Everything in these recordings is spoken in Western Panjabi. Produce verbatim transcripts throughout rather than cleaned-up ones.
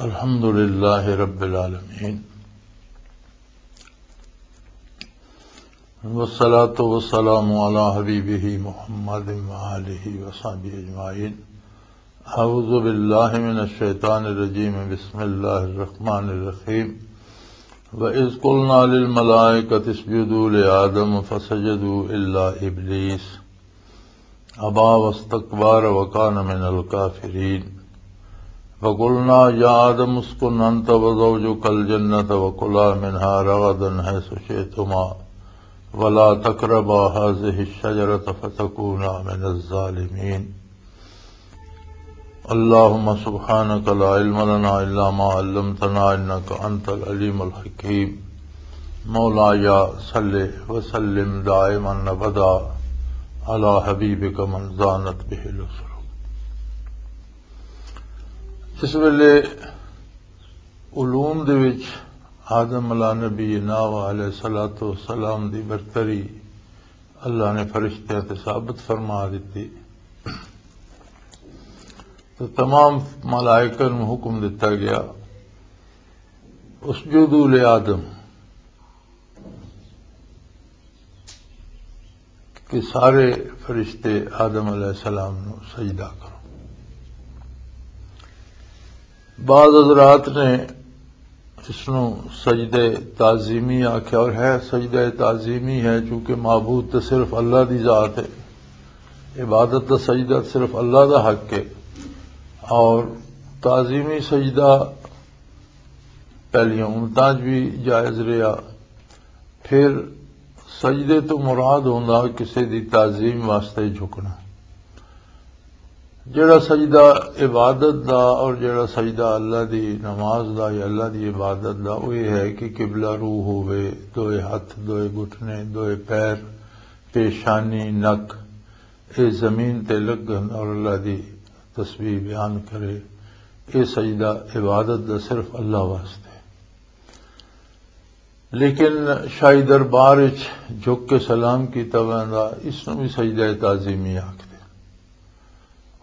الحمد لله رب العالمين، والصلاة والسلام على حبيبه محمد وآله وصحبه أجمعين. أعوذ بالله من الشيطان الرجيم. بسم الله الرحمن الرحيم. وإذ قلنا للملائكة اسجدوا لآدم فسجدوا إلا إبليس أبى واستكبر وكان من الكافرين. وقلنا يا آدم اسكن أنت وزوجك الجنة وكلا منها رغدا حيث شئتما ولا تقربا هذه الشجرة فتكونا من الظالمين. اللهم سبحانك لا علم لنا إلا ما علمتنا إنك أنت العليم الحكيم. مولاي صل وسلم دائما أبدا على حبيبك من زانت به الأسر. اس ویلے علوم دے وچ آدم علیہ نبینا و علیہ الصلوۃ والسلام دی برتری اللہ نے فرشتیاں تے ثابت فرما دتی۔ تو تمام ملائکہ نوں حکم دتا گیا، اسجدوا لآدم، کہ سارے فرشتے آدم علیہ السلام نوں سجدہ کرو۔ بعض حضرات نے اس نوں سجدہ تعظیمی آکھیا، اور ہے سجدہ تعظیمی ہے، چونکہ معبود تو صرف اللہ دی ذات ہے، عبادت دا سجدہ صرف اللہ دا حق ہے۔ اور تعظیمی سجدہ پہلیاں امتاں 'چ بھی جائز رہیا۔ پھر سجدے تو مراد ہوندا کسے دی تعظیم واسطے جھکنا۔ جڑا سجدہ عبادت دا اور جڑا سجدہ اللہ دی نماز دا یا اللہ دی عبادت دا، وہ یہ ہے کہ قبلہ روح ہوئے، دوئے ہاتھ، دوئے گھٹنے، دوئے پیر، پیشانی، نک، اے زمین تے لگن اور اللہ دی تسبیح بیان کرے۔ اے سجدہ عبادت دا صرف اللہ واسطے۔ لیکن شاہی دربار وچ جھک کے سلام کیتا ویندا، اس نوں بھی سجدہ تعظیمی آکھدے۔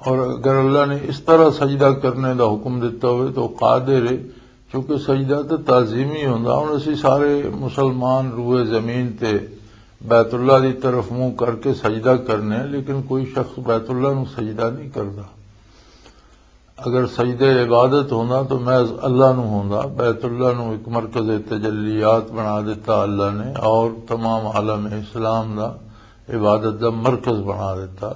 اور اگر اللہ نے اس طرح سجدہ کرنے دا حکم دیتا ہوئے تو قادر ہے، چونکہ سجدہ تو تعظیمی ہوندا۔ ہن اسی سارے مسلمان روئے زمین تے بیت اللہ دی طرف منہ کر کے سجدہ کرنے ہیں، لیکن کوئی شخص بیت اللہ نو سجدہ نہیں کردا۔ اگر سجدہ عبادت ہوندا تو محض اللہ نو ہوندا۔ بیت اللہ نو ایک مرکز تجلیات بنا دیتا اللہ نے، اور تمام عالم اسلام دا عبادت دا مرکز بنا دیتا۔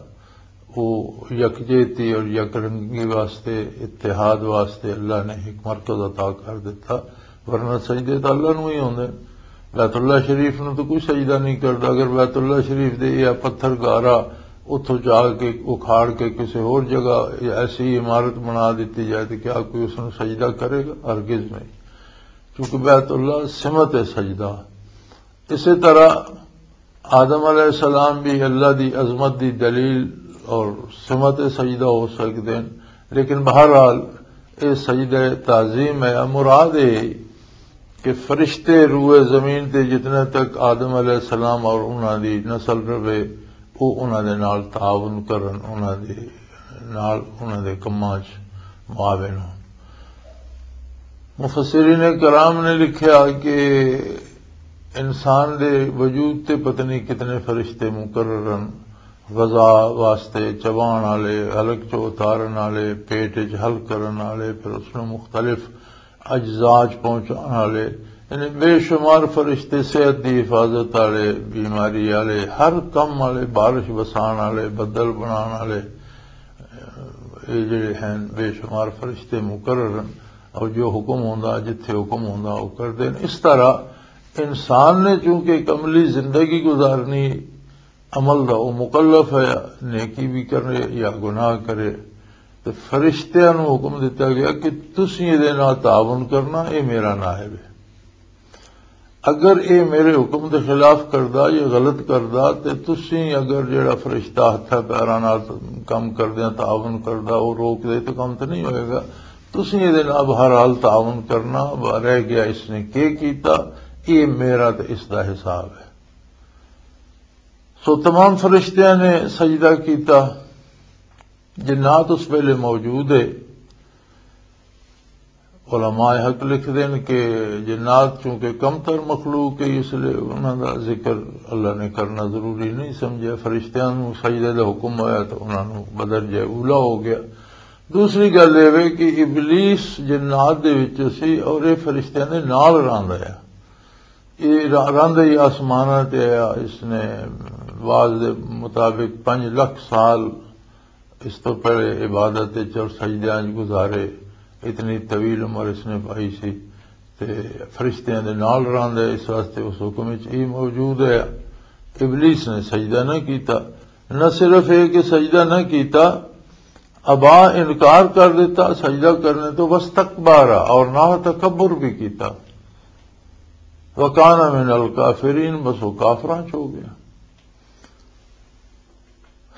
وہ یکجہتی اور یک رنگی واسطے، اتحاد واسطے اللہ نے ایک مرکز عطا کر دیتا، ورنہ سجدے تو اللہ نو ہی ہوندے۔ بیت اللہ شریف نو تو کوئی سجدہ نہیں کردا۔ اگر بیت اللہ شریف دے یا پتھر گارا اتھوں جا کے اکھاڑ کے کسی ہور جگہ ایسی عمارت بنا دیتی جائے تو کیا کوئی اس نو سجدہ کرے گا؟ ہرگز نہیں، کیونکہ بیت اللہ سمت ہے سجدہ۔ اسی طرح آدم علیہ السلام بھی اللہ دی عظمت دی دلیل اور سمت سجدہ ہو سکتے ہیں، لیکن بہرحال اے سجدہ تعظیم ہے۔ مراد اے کہ فرشتے روئے زمین تے جتنے تک آدم علیہ السلام اور انہاں دی نسل رہے، وہ انہاں دے نال تعاون کرن، انہاں دے نال، انہاں دے کماں 'چ معاون ہون۔ مفسرین کرام نے لکھیا کہ انسان دے وجود تے پتہ نہیں کتنے فرشتے مقرر ہیں، غذا واسطے چبان والے، حلق چ اتارن والے، پیٹ وچ حل کرن والے، پھر اس نوں مختلف اجزاء چ پہنچان والے، یعنی بے شمار فرشتے، صحت دی حفاظت والے، بیماری والے، ہر کم والے، بارش وسان والے، بدل بنان والے، یہ جڑے ہیں بے شمار فرشتے مقرر ہیں، اور جو حکم ہوندا، جتھے حکم ہوندا، وہ کردے ہیں۔ اس طرح انسان نے چونکہ ایک عملی زندگی گزارنی، عمل دا وہ مکلف ہے، نیکی بھی کرے یا گناہ کرے، تو فرشتیاں نوں حکم دتا گیا کہ تسی یہ دے نال تعاون کرنا، یہ میرا نائب ہے۔ اگر یہ میرے حکم دے خلاف کردا یا غلط کردا، تے تسی اگر جڑا فرشتہ ہتھاں پیراں نال کم کردیاں تعاون کردا، وہ روک دے تو کم تو نہیں ہوئے گا۔ تسی یہ دے نال بہرحال تعاون کرنا، رہ گیا اس نے کی کیتا، یہ میرا تے اس دا حساب ہے۔ سو تمام فرشتیاں نے سجدہ کیتا، جنات اس ویلے موجود ہے۔ علماء حق لکھدے نے کہ جنات چونکہ کمتر مخلوق ہے، اس لیے انہاں دا ذکر اللہ نے کرنا ضروری نہیں سمجھا۔ فرشتیاں نوں سجدے دا حکم ہویا تو انہاں نوں بدرجہ اولا ہو گیا۔ دوسری گل یہ وے کہ ابلیس جنات دے وچ سی اور یہ فرشتیاں دے نال رہندا ہے۔ یہ را- رہندا ہی آسماناں تے آیا۔ اس نے بعض دے مطابق پنج لکھ سال اس تو پہلے عبادت وچ اور سجدیاں وچ گزارے۔ اتنی طویل عمر اس نے پائی سی۔ تے فرشتیاں دے نال رہندا ہے، اس واسطے اس حکم وچ ہی موجود ہے۔ ابلیس نے سجدہ نہ کیتا۔ نہ صرف یہ کہ سجدہ نہ کیتا، ابا، انکار کر دیتا سجدہ کرنے تو، واستکبر، اور نہ تکبر بھی کیتا۔ وکان من الکافرین، بس وہ کافراں چ ہو گیا۔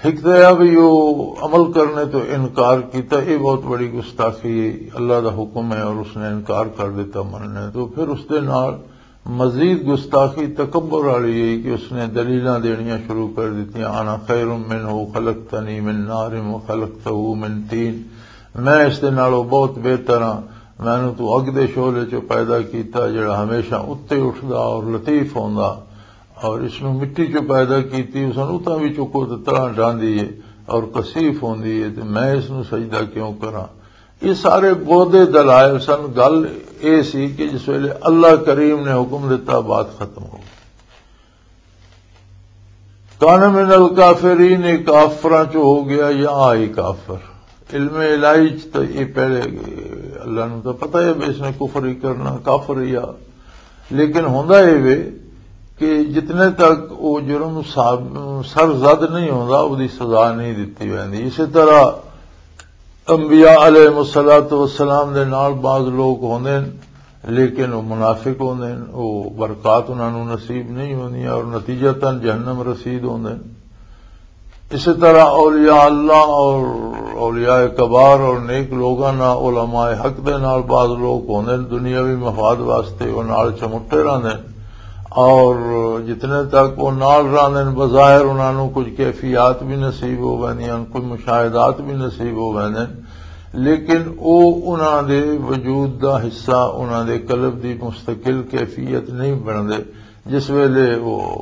ایک تو یہ بھی وہ عمل کرنے تو انکار کیتا، یہ بہت بڑی گستاخی ہے۔ اللہ دا حکم ہے اور اس نے انکار کر دیتا مننے تو، پھر اس دے نال مزید گستاخی تکبر والی ہے کہ اس نے دلیلاں دینیاں شروع کر دیتیاں، انا خیر منہ خلقتنی من نار و خلقتہ من طین، میں اس دے نالوں بہت بہتر ہاں، مینوں تو اگ دے شعلے چوں پیدا کیتا جڑا ہمیشہ اتے اٹھدا اور لطیف ہوندا، اور اس نوں مٹی چوں پیدا کیتی، اس نوں اتاں بھی چکو تے تلاں ڈاندی ہے اور کثیف ہوندی ہے، تے میں اس نوں سجدہ کیوں کراں؟ یہ سارے بودے دلائل سن۔ گل یہ سی کہ جس ویلے اللہ کریم نے حکم دتا، بات ختم ہو گئی۔ کان من الکافرین، یہ کافراں چ ہو گیا یا آئی کافر۔ علم الہی چ تو یہ پہلے اللہ نوں تو پتہ ہے بھی اس نے کفر ہی کرنا، کافر ہی آ۔ لیکن ہوندا یہ وے کہ جتنے تک وہ جرم صاحب سر زد نہیں ہوندا، وہ دی سزا نہیں دتی ویندی۔ اسی طرح انبیاء علیہ الصلوۃ والسلام دے نال بعض لوگ ہوندے نے، لیکن وہ منافق ہوندے نے، وہ برکات انہاں نوں نصیب نہیں ہوندیاں اور نتیجتاً جہنم رسید ہوندے نے۔ اسی طرح اولیاء اللہ اور اولیاء کبار اور نیک لوگاں نال، علماء حق دے نال بعض لوگ ہوندے نے، دنیاوی مفاد واسطے وہ نال چمٹے رہندے نے۔ اور جتنے تک وہ نال رہندے نے، بظاہر انہاں نوں کچھ کیفیات بھی نصیب ہو ویندیاں، کچھ مشاہدات بھی نصیب ہو ویندے نے، لیکن وہ انہاں دے وجود دا حصہ، انہاں دے قلب دی مستقل کیفیت نہیں بندے۔ جس ویلے وہ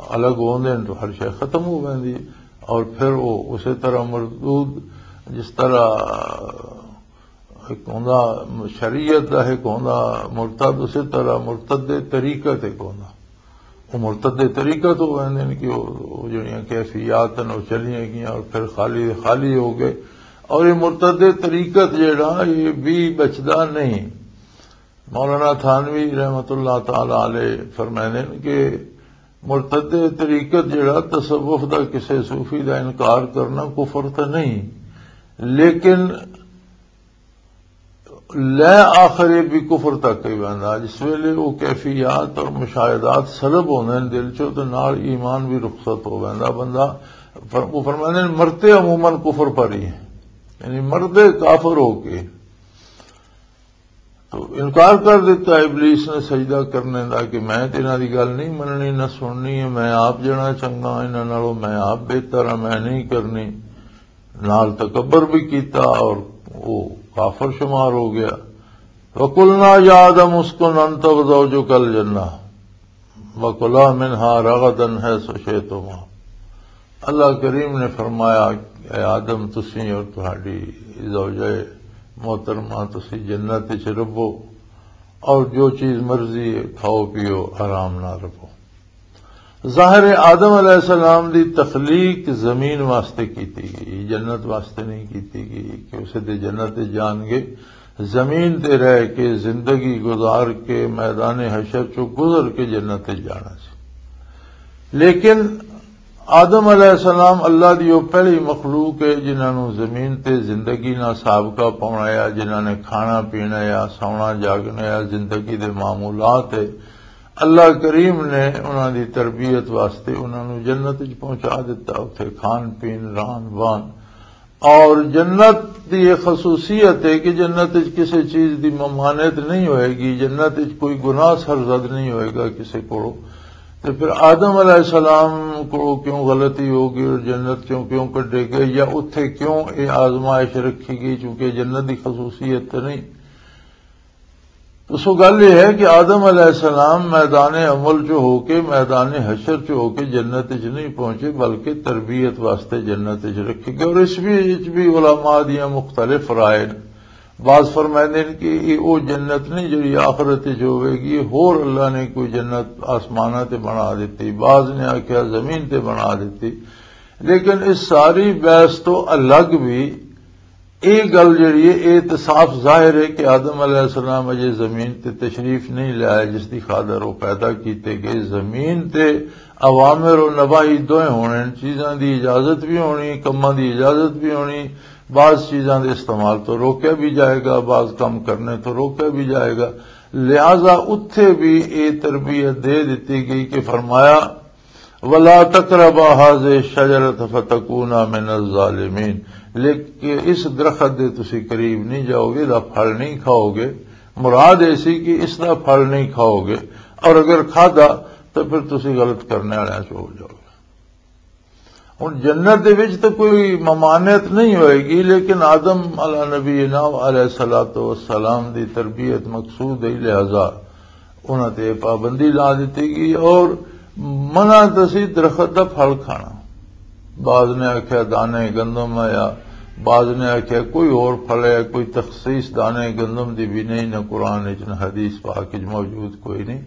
الگ ہوندے نے تو ہر شے ختم ہو ویندی ہے۔ اور پھر وہ اسی طرح مردود، جس طرح ایک ہوندا شریعت دا ایک ہوندا مرتد، اسی طرح مرتد طریقت ایک ہوندا۔ وہ مرتد طریقت ہو ویندے نے کہ وہ، وہ جڑیاں کیفیات ہیں، وہ چلیاں گئیاں اور پھر خالی دے خالی ہو گئے۔ اور یہ مرتد طریقت جڑا، یہ بھی بچدا نہیں۔ مولانا تھانوی رحمت اللہ تعالی علیہ فرمائے نے کہ مرتد طریقت جڑا، تصوف دا، کسے صوفی دا انکار کرنا کفر تے نہیں، لیکن لے آخر یہ بھی کفر تک ہی ویندا۔ جس ویلے وہ کیفیات اور مشاہدات سلب ہوندے نے دل چوں، تے نال ایمان بھی رخصت ہو ویندا۔ بندہ فر-، وہ فرماندے نے، مرتے عموماً کفر پر ہی ہے، یعنی مردے کافر ہو کے۔ تو انکار کر دیتا ابلیس نے سجدہ کرنے دا کہ میں تے انہاں دی گل نہیں مننی، نہ سننی ہے، میں آپ جنا چنگا ہاں انہاں نالوں، میں آپ بہتر ہاں، میں نہیں کرنی۔ نال تکبر بھی کیتا اور وہ کافر شمار ہو گیا۔ وَقُلْنَا يَا آدَمُ اسْكُنْ أَنْتَ وَزَوْجُكَ الْجَنَّةَ وَكُلَا مِنْهَا رَغَدًا حَيْثُ شِئْتُمَا۔ اللہ کریم نے فرمایا، اے آدم، تسی اور تہاڈی زوجہ محترمہ، تسی جنت وچ رہو اور جو چیز مرضی ہے کھاؤ پیو، آرام نال رہو۔ ظاہر ہے، آدم علیہ السلام دی تخلیق زمین واسطے کیتی گئی، جنت واسطے نہیں کیتی گئی کہ اسے دے جنت دے جان گے۔ زمین تے رہ کے، زندگی گزار کے، میدان حشر چوں گزر کے جنت تے جانا سی۔ لیکن آدم علیہ السلام اللہ دی وہ پہلی مخلوق ہے جنہاں نوں زمین تے زندگی نال سابقہ پاؤنا آیا، جنہاں نے کھانا پینا آیا، سونا جاگنا آیا، زندگی دے معمولات ہے۔ اللہ کریم نے انہاں دی تربیت واسطے انہاں نوں جنت وچ پہنچا دتا، اتھے کھان پین، رہن وہن۔ اور جنت دی یہ خصوصیت ہے کہ جنت وچ کسی چیز دی ممانعت نہیں ہوئے گی، جنت وچ کوئی گناہ سرزد نہیں ہوئے گا کسی کو۔ تو پھر آدم علیہ السلام کو کیوں غلطی ہو گئی اور جنت چوں کیوں کڈے گئے، یا اتھے کیوں یہ آزمائش رکھی گئی؟ چونکہ جنت دی خصوصیت تو نہیں۔ سو گل یہ ہے کہ آدم علیہ السلام میدان عمل چ ہو کے، میدان حشر چ ہو کے جنت چ نہیں پہنچے، بلکہ تربیت واسطے جنت چ رکھے گئے۔ اور اس بھی، اس بھی علماء دیاں مختلف رائے نے۔ بعض فرمائندے نے کہ یہ وہ جنت نہیں جڑی آخرت چ ہوئے گی، ہور اللہ نے کوئی جنت آسماناں تے بنا دیتی، بعض نے آکھیا زمین تے بنا دیتی۔ لیکن اس ساری بحث تو الگ بھی یہ گل جڑی ہے، یہ تے صاف ظاہر ہے کہ آدم علیہ السلام اجے زمین تے تشریف نہیں لے آئے، جس دی خاطر وہ پیدا کیتے گئے۔ زمین تے اوامر و نواہی دوئے ہونے، چیزاں دی اجازت بھی ہونی، کماں دی اجازت بھی ہونی، بعض چیزاں دے استعمال تو روکیا بھی جائے گا، بعض کم کرنے تو روکیا بھی جائے گا۔ لہذا اتھے بھی یہ تربیت دے دیتی گئی کہ فرمایا، "ولا تقربا هذه الشجرة فتكونا من الظالمين"، لیکن اس درخت دے تسی قریب نہیں جاؤ گے، دا پھل نہیں کھاؤ گے۔ مراد ایسی کہ اس دا پھل نہیں کھاؤ گے، اور اگر کھادا تو پھر تسی غلط کرنے والے چ ہو جاؤ گے۔ ہن جنت دے وچ تے کوئی ممانعت نہیں ہوئے گی، لیکن آدم علی نبینا علیہ الصلوۃ والسلام دی تربیت مقصود ہے، لہذا انہاں تے پابندی لا دتی گئی۔ اور منع تے سی درخت دا پھل کھانا۔ بعض نے آکھیا دانے گندم ہے، یا بعض نے آکھیا کوئی اور پھل ہے۔ کوئی تخصیص دانے گندم دی بھی نہیں، نہ قرآن وچ نہ حدیث پاک وچ موجود کوئی نہیں۔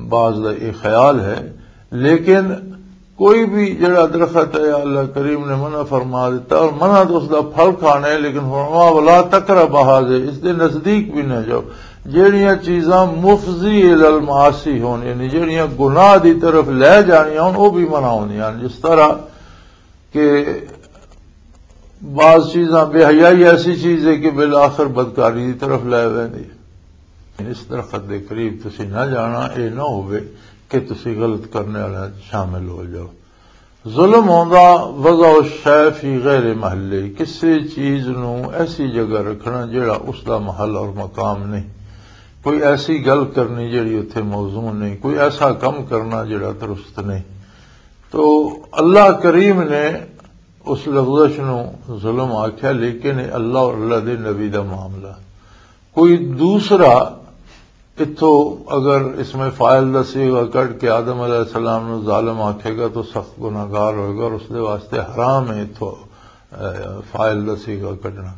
بعض دا یہ خیال ہے، لیکن کوئی بھی جڑا درخت ہے، اللہ کریم نے منع فرما دیتا، اور منع تو اس دا پھل کھانا ہے، لیکن فرمایا، "ولا تقربا هذه"، اس دے نزدیک بھی نہ جاؤ۔ جڑیاں چیزاں مفضی الی المعاصی ہون، یعنی جڑیاں گناہ دی طرف لے جانیاں ہون، وہ بھی منع ہوندیاں ہن۔ جس طرح کہ بعض چیزاں، بے حیائی ایسی چیز ہے کہ بالآخر بدکاری دی طرف لے ویندی ہے۔ اس درخت دے قریب تسی نہ جانا، اے نہ ہوئے کہ تسی غلط کرنے والے شامل ہو جاؤ۔ ظلم ہوندا وضع الشیء فی غیر محلہ، کسی چیز نو ایسی جگہ رکھنا جڑا اس دا محل اور مقام نہیں، کوئی ایسی گل کرنی جڑی اتھے موزوں نہیں، کوئی ایسا کم کرنا جڑا درست نہیں۔ تو اللہ کریم نے اس لغزش نو ظلم آکھیا، لیکن یہ اللہ اور اللہ دے نبی دا معاملہ۔ کوئی دوسرا اتھو اگر اس میں فاعل دا صیغہ کٹ کے آدم علیہ السلام نو ظالم آکھے گا تو سخت گناہگار ہوئے گا، اور اس دے واسطے حرام ہے اتھو، اے، فاعل دا صیغہ کڈنا،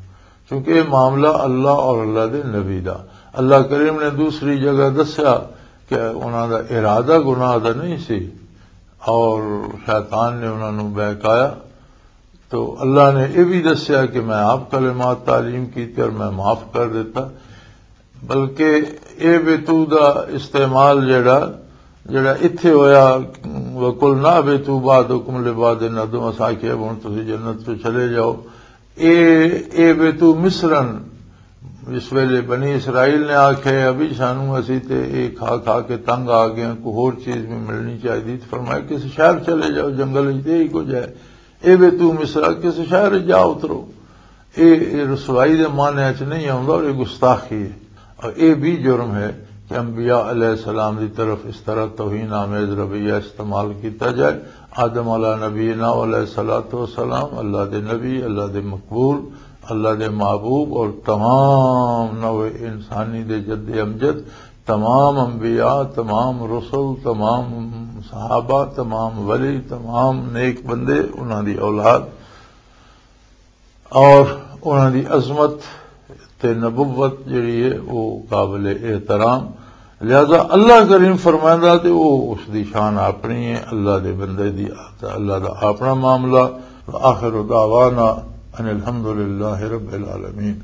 کیونکہ یہ معاملہ اللہ اور اللہ دے نبی دا۔ اللہ کریم نے دوسری جگہ دسیا کہ انہاں دا ارادہ گناہ دا نہیں سی، اور شیطان نے انہاں نوں بہکایا۔ تو اللہ نے یہ بھی دسیا کہ میں آپ کلمات تعلیم کیتے اور میں معاف کر دیتا۔ بلکہ اے بے تو دا استعمال جڑا، جڑا اتھے ہویا، "وَقُلْنَا اهْبِطُوا بَعْضُكُمْ لِبَعْضٍ عَدُوٌّ"، اساں آکھیا، "ہن تسی جنت تو چلے جاؤ۔" اے، اے بے تو مصرن، اس ویلے بنی اسرائیل نے آکھیا، "ابھی سانو، اسی تے اے کھا کھا کے تنگ آ گئے ہیں، کوئی ہور چیز بھی ملنی چاہیے۔" تو فرمایا، "کسی شہر چلے جاؤ، جنگل وچ تے ہی کچھ ہے۔ اے بے تو مصرا، کسی شہر وچ جا اترو۔" اے، اے رسوائی دے معنی وچ نہیں آوندا اور اے گستاخی ہے۔ اور اے بھی جرم ہے کہ انبیاء علیہ السلام دی طرف اس طرح توہین آمیز رویہ استعمال کیتا جائے۔ آدم علیہ نبینا علیہ الصلوۃ والسلام اللہ دے نبی، اللہ دے مقبول، اللہ دے محبوب اور تمام نوع انسانی دے جد امجد، تمام انبیاء، تمام رسل، تمام صحابہ، تمام ولی، تمام نیک بندے، انہاں دی اولاد اور انہاں دی عظمت تے نبوت جڑی ہے، وہ قابل احترام۔ لہذا اللہ کریم فرمائندا تے وہ اس دی شان اپنی ہے، اللہ دے بندے دی، اللہ دا اپنا معاملہ۔ وآخر دعوانا ان الحمد للہ رب العالمین۔